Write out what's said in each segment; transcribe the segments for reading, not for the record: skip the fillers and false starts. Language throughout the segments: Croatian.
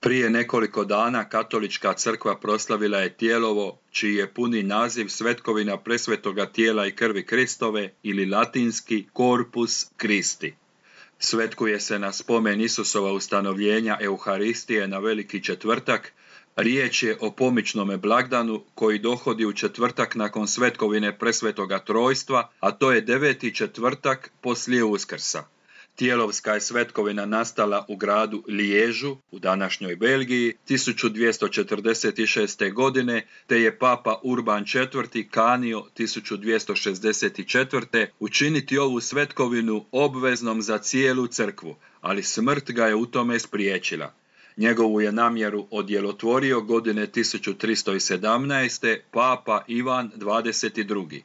Prije nekoliko dana katolička crkva proslavila je Tijelovo, čiji je puni naziv Svetkovina presvetoga tijela i krvi Kristove ili latinski Corpus Christi. Svetkuje se na spomen Isusova ustanovljenja Euharistije na Veliki četvrtak. Riječ je o pomičnome blagdanu koji dohodi u četvrtak nakon svetkovine presvetoga trojstva, a to je 9. četvrtak poslije Uskrsa. Tijelovska je svetkovina nastala u gradu Liježu, u današnjoj Belgiji, 1246. godine, te je papa Urban IV. Kanio 1264. učiniti ovu svetkovinu obveznom za cijelu crkvu, ali smrt ga je u tome spriječila. Njegovu je namjeru odjelotvorio godine 1317. papa Ivan XXII.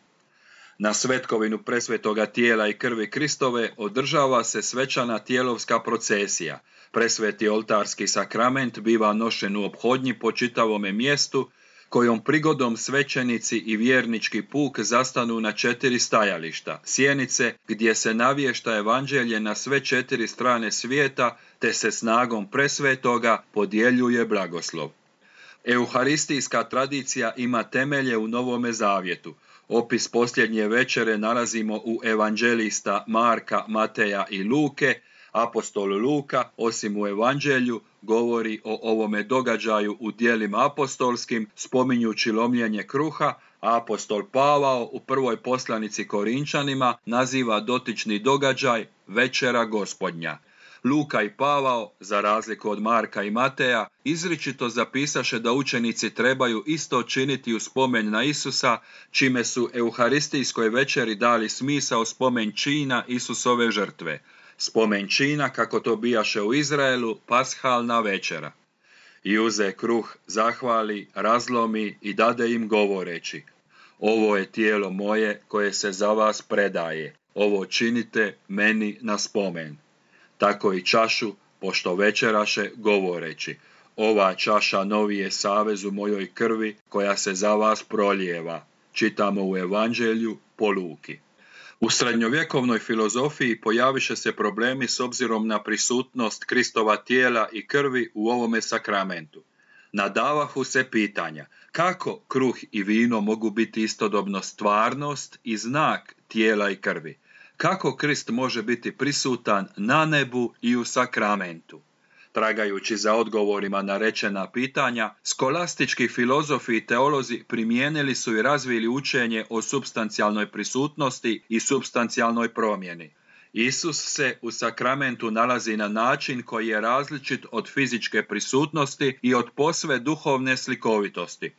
Na svetkovinu presvetoga tijela i krvi Kristove održava se svečana tijelovska procesija. Presveti oltarski sakrament biva nošen u ophodnji po čitavome mjestu, kojom prigodom svećenici i vjernički puk zastanu na 4 stajališta, sjenice, gdje se navješta evanđelje na sve 4 strane svijeta, te se snagom presvetoga podjeljuje blagoslov. Euharistijska tradicija ima temelje u Novome Zavjetu. Opis posljednje večere nalazimo u evanđelista Marka, Mateja i Luke. Apostol Luka, osim u evanđelju, govori o ovome događaju u djelima apostolskim, spominjući lomljenje kruha, a apostol Pavao u prvoj poslanici Korinčanima naziva dotični događaj Večera Gospodnja. Luka i Pavao, za razliku od Marka i Mateja, izričito zapisaše da učenici trebaju isto činiti u spomen na Isusa, čime su euharistijskoj večeri dali smisao spomen čina Isusove žrtve. Spomen čina, kako to bijaše u Izraelu, pashalna večera. I uze kruh, zahvali, razlomi i dade im govoreći: ovo je tijelo moje koje se za vas predaje, ovo činite meni na spomen. Tako i čašu, pošto večeraše, govoreći: ova čaša novi je savez u mojoj krvi koja se za vas prolijeva. Čitamo u evanđelju po Luki. U srednjovjekovnoj filozofiji pojaviše se problemi s obzirom na prisutnost Kristova tijela i krvi u ovome sakramentu. Nadavahu se pitanja: kako kruh i vino mogu biti istodobno stvarnost i znak tijela i krvi? Kako Krist može biti prisutan na nebu i u sakramentu? Tragajući za odgovorima na rečena pitanja, skolastički filozofi i teolozi primijenili su i razvili učenje o supstancijalnoj prisutnosti i supstancijalnoj promjeni. Isus se u sakramentu nalazi na način koji je različit od fizičke prisutnosti i od posve duhovne slikovitosti.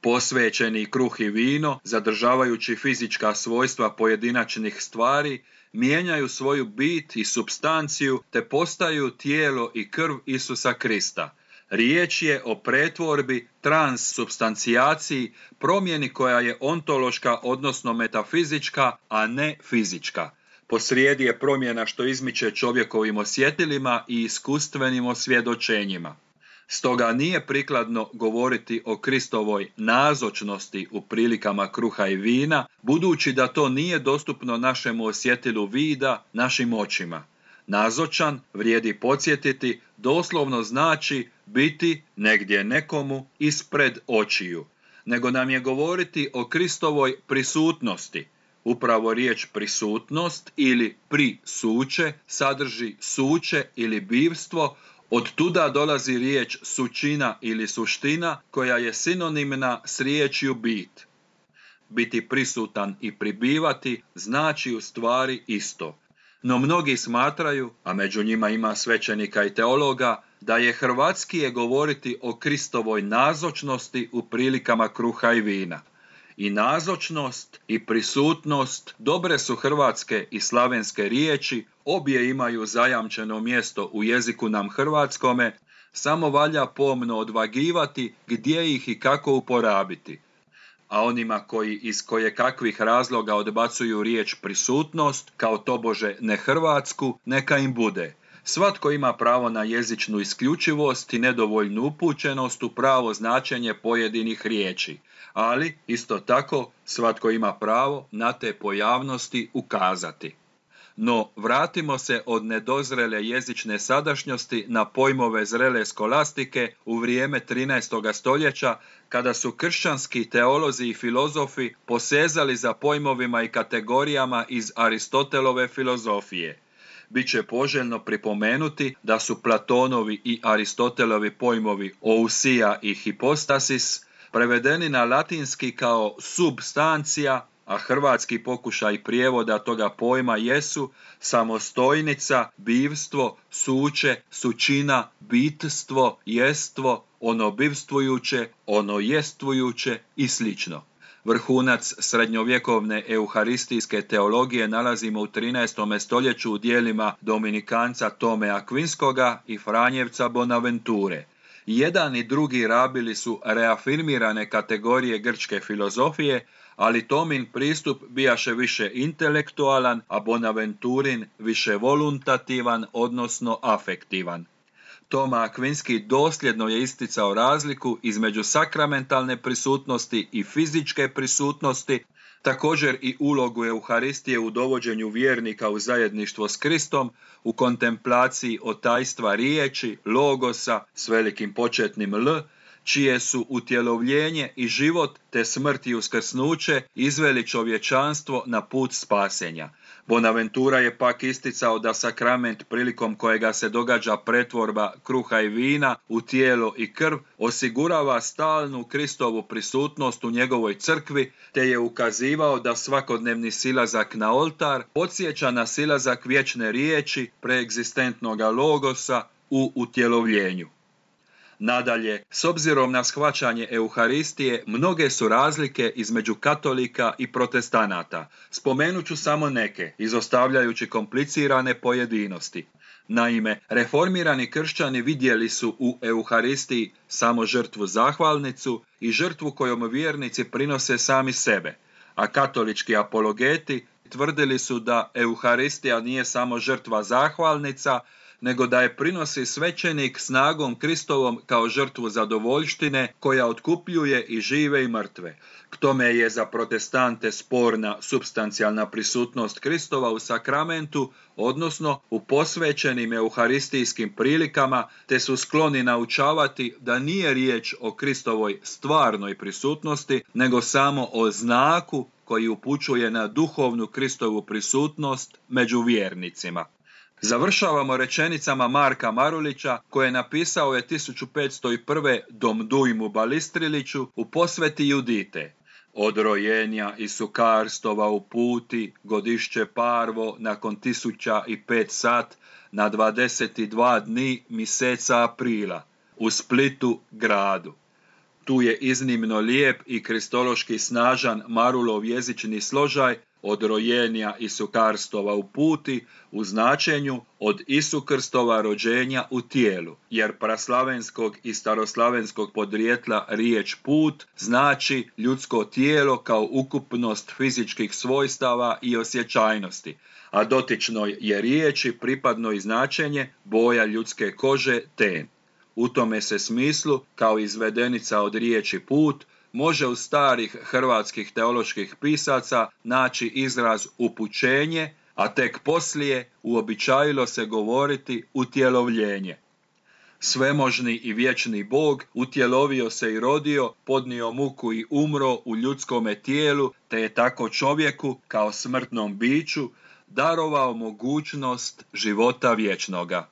Posvećeni kruh i vino, zadržavajući fizička svojstva pojedinačnih stvari, mijenjaju svoju bit i supstanciju te postaju tijelo i krv Isusa Krista. Riječ je o pretvorbi, transsubstancijaciji, promjeni koja je ontološka, odnosno metafizička, a ne fizička. Posrijedi je promjena što izmiče čovjekovim osjetilima i iskustvenim osvjedočenjima. Stoga nije prikladno govoriti o Kristovoj nazočnosti u prilikama kruha i vina, budući da to nije dostupno našemu osjetilu vida, našim očima. Nazočan, vrijedi podsjetiti, doslovno znači biti negdje nekomu ispred očiju, nego nam je govoriti o Kristovoj prisutnosti. Upravo riječ prisutnost ili prisuće sadrži suće ili bivstvo. Od tuda dolazi riječ sučina ili suština, koja je sinonimna s riječju bit. Biti prisutan i pribivati znači u stvari isto. No mnogi smatraju, a među njima ima svećenika i teologa, da je hrvatskije govoriti o Kristovoj nazočnosti u prilikama kruha i vina. I nazočnost i prisutnost dobre su hrvatske i slavenske riječi, obje imaju zajamčeno mjesto u jeziku nam hrvatskome, samo valja pomno odvagivati gdje ih i kako uporabiti. A onima koji iz kojekakvih razloga odbacuju riječ prisutnost kao tobože nehrvatsku, neka im bude. Svatko ima pravo na jezičnu isključivost i nedovoljnu upućenost u pravo značenje pojedinih riječi, ali isto tako svatko ima pravo na te pojavnosti ukazati. No, vratimo se od nedozrele jezične sadašnjosti na pojmove zrele skolastike u vrijeme 13. stoljeća, kada su kršćanski teolozi i filozofi posezali za pojmovima i kategorijama iz Aristotelove filozofije. Biće poželjno pripomenuti da su Platonovi i Aristotelovi pojmovi ousia i hypostasis prevedeni na latinski kao substancija, a hrvatski pokušaj prijevoda toga pojma jesu samostojnica, bivstvo, suće, sučina, bitstvo, jestvo, ono bivstvujuće, ono jestvujuće i slično. Vrhunac srednjovjekovne euharistijske teologije nalazimo u 13. stoljeću u dijelima Dominikanca Tome Akvinskoga i Franjevca Bonaventure. Jedan i drugi rabili su reafirmirane kategorije grčke filozofije, ali Tomin pristup bijaše više intelektualan, a Bonaventurin više voluntativan, odnosno afektivan. Toma Akvinski dosljedno je isticao razliku između sakramentalne prisutnosti i fizičke prisutnosti, također i ulogu Euharistije u dovođenju vjernika u zajedništvo s Kristom, u kontemplaciji otajstva riječi, logosa s velikim početnim L, čije su utjelovljenje i život te smrt i uskrsnuće izveli čovječanstvo na put spasenja. Bonaventura je pak isticao da sakrament prilikom kojega se događa pretvorba kruha i vina u tijelo i krv osigurava stalnu Kristovu prisutnost u njegovoj crkvi, te je ukazivao da svakodnevni silazak na oltar podsjeća na silazak vječne riječi preegzistentnoga logosa u utjelovljenju. Nadalje, s obzirom na shvaćanje Euharistije, mnoge su razlike između katolika i protestanata. Spomenut ću samo neke, izostavljajući komplicirane pojedinosti. Naime, reformirani kršćani vidjeli su u Euharistiji samo žrtvu zahvalnicu i žrtvu kojom vjernici prinose sami sebe, a katolički apologeti tvrdili su da Euharistija nije samo žrtva zahvalnica, nego da je prinosi svećenik snagom Kristovom kao žrtvu zadovoljštine koja otkupljuje i žive i mrtve. K tome je za protestante sporna supstancijalna prisutnost Kristova u sakramentu, odnosno u posvećenim euharistijskim prilikama, te su skloni naučavati da nije riječ o Kristovoj stvarnoj prisutnosti, nego samo o znaku koji upućuje na duhovnu Kristovu prisutnost među vjernicima. Završavamo rečenicama Marka Marulića, koje napisao je 1501. Dom Dujmu Balistriliću u posveti Judite. Od rojenja i sukarstova u puti, godišće parvo, nakon 1005 sat, na 22 dni mjeseca aprila, u Splitu gradu. Tu je iznimno lijep i kristološki snažan Marulov jezični složaj od rojenja i sukarstova u puti u značenju od Isukrstova rođenja u tijelu, jer praslavenskog i staroslavenskog podrijetla riječ put znači ljudsko tijelo kao ukupnost fizičkih svojstava i osjećajnosti, a dotičnoj je riječi pripadno i značenje boja ljudske kože ten. U tome se smislu, kao izvedenica od riječi put, može u starih hrvatskih teoloških pisaca naći izraz upućenje, a tek poslije uobičajilo se govoriti utjelovljenje. Svemožni i vječni Bog utjelovio se i rodio, podnio muku i umro u ljudskome tijelu, te je tako čovjeku, kao smrtnom biću, darovao mogućnost života vječnoga.